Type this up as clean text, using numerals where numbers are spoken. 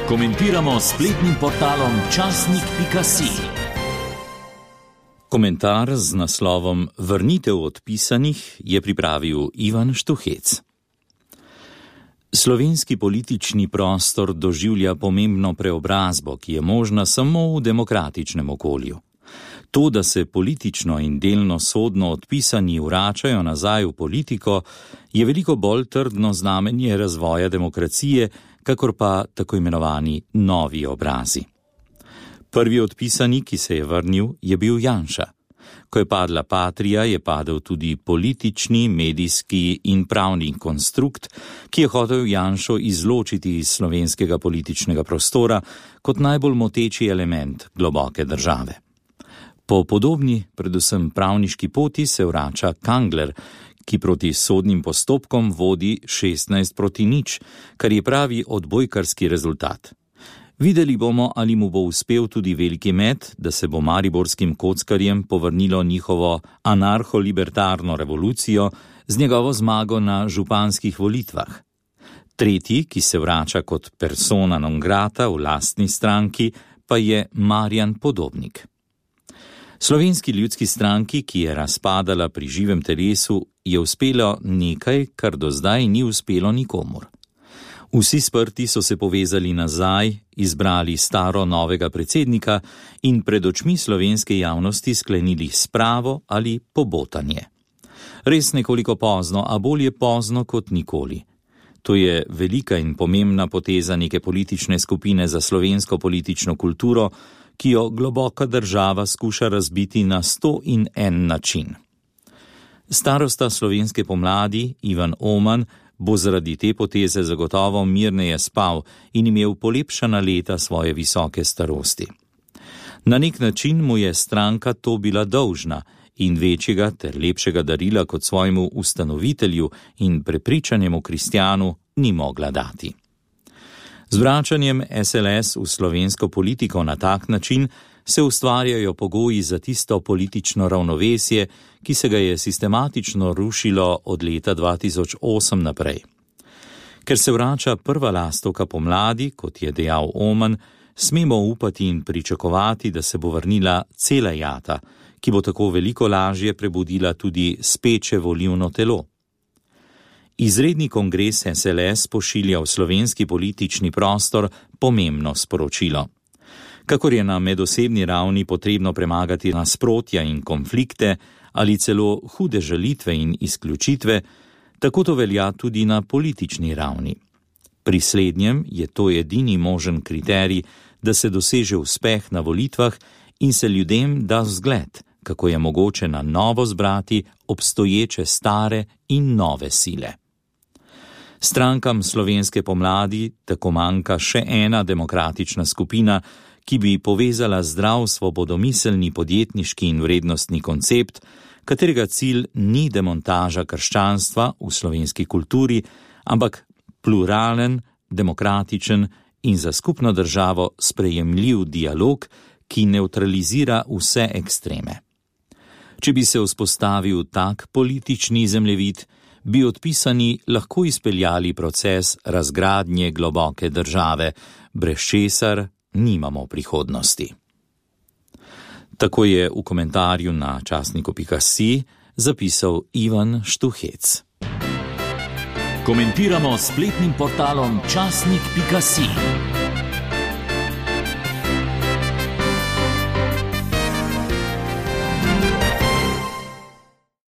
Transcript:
Komentiramo s spletnim portalom časnik.si. Komentar z naslovom Vrnitev odpisanih je pripravil Ivan Štuhec. Slovenski politični prostor doživlja pomembno preobrazbo, ki je možna samo v demokratičnem okolju. To, da se politično in delno sodno odpisani vračajo nazaj v politiko, je veliko bolj trdno znamenje razvoja demokracije, kakor pa tako imenovani novi obrazi. Prvi odpisani, ki se je vrnil, je bil Janša. Ko je padla Patria, je padel tudi politični, medijski in pravni konstrukt, ki je hotel Janšo izločiti iz slovenskega političnega prostora kot najbolj moteči element globoke države. Po podobni, predvsem pravniški poti se vrača Kangler, ki proti sodnim postopkom vodi 16-0, kar je pravi odbojkarski rezultat. Videli bomo, ali mu bo uspel tudi veliki met, da se bo mariborskim kockarjem povrnilo njihovo anarcho-libertarno revolucijo z njegovo zmago na županskih volitvah. Tretji, ki se vrača kot persona non grata v lastni stranki, pa je Marjan Podobnik. Slovenski ljudski stranki, ki je razpadala pri živem telesu, je uspelo nekaj, kar do zdaj ni uspelo nikomur. Vsi sprti so se povezali nazaj, izbrali staro novega predsednika in pred očmi slovenske javnosti sklenili spravo ali pobotanje. Res nekoliko pozno, a bolje pozno kot nikoli. To je velika in pomembna poteza neke politične skupine za slovensko politično kulturo, ki jo globoka država skuša razbiti na 101 način. Starosta slovenske pomladi, Ivan Oman, bo zaradi te poteze zagotovo mirneje spal in imel polepšana leta svoje visoke starosti. Na nek način mu je stranka to bila dolžna in večjega ter lepšega darila kot svojemu ustanovitelju in prepričanemu kristjanu ni mogla dati. Z vračanjem SLS v slovensko politiko na tak način se ustvarjajo pogoji za tisto politično ravnovesje, ki se ga je sistematično rušilo od leta 2008 naprej. Ker se vrača prva lastovka pomladi, kot je dejal Oman, smemo upati in pričakovati, da se bo vrnila cela jata, ki bo tako veliko lažje prebudila tudi speče volilno telo. Izredni kongres SLS pošilja v slovenski politični prostor pomembno sporočilo. Kakor je na medosebni ravni potrebno premagati nasprotja in konflikte ali celo hude žalitve in izključitve, tako to velja tudi na politični ravni. Pri slednjem je to edini možen kriterij, da se doseže uspeh na volitvah in se ljudem da zgled, kako je mogoče na novo zbrati obstoječe stare in nove sile. Strankam slovenske pomladi tako manjka še ena demokratična skupina, ki bi povezala zdrav svobodomiselni podjetniški in vrednostni koncept, katerega cilj ni demontaža krščanstva v slovenski kulturi, ampak pluralen, demokratičen in za skupno državo sprejemljiv dialog, ki nevtralizira vse ekstreme. Če bi se vzpostavil tak politični zemljevid, bi odpisani lahko izpeljali proces razgradnje globoke države, brez česar nimamo prihodnosti. Tako je v komentarju na časniku.si zapisal Ivan Štuhec. Komentiramo s spletnim portalom časnik.si.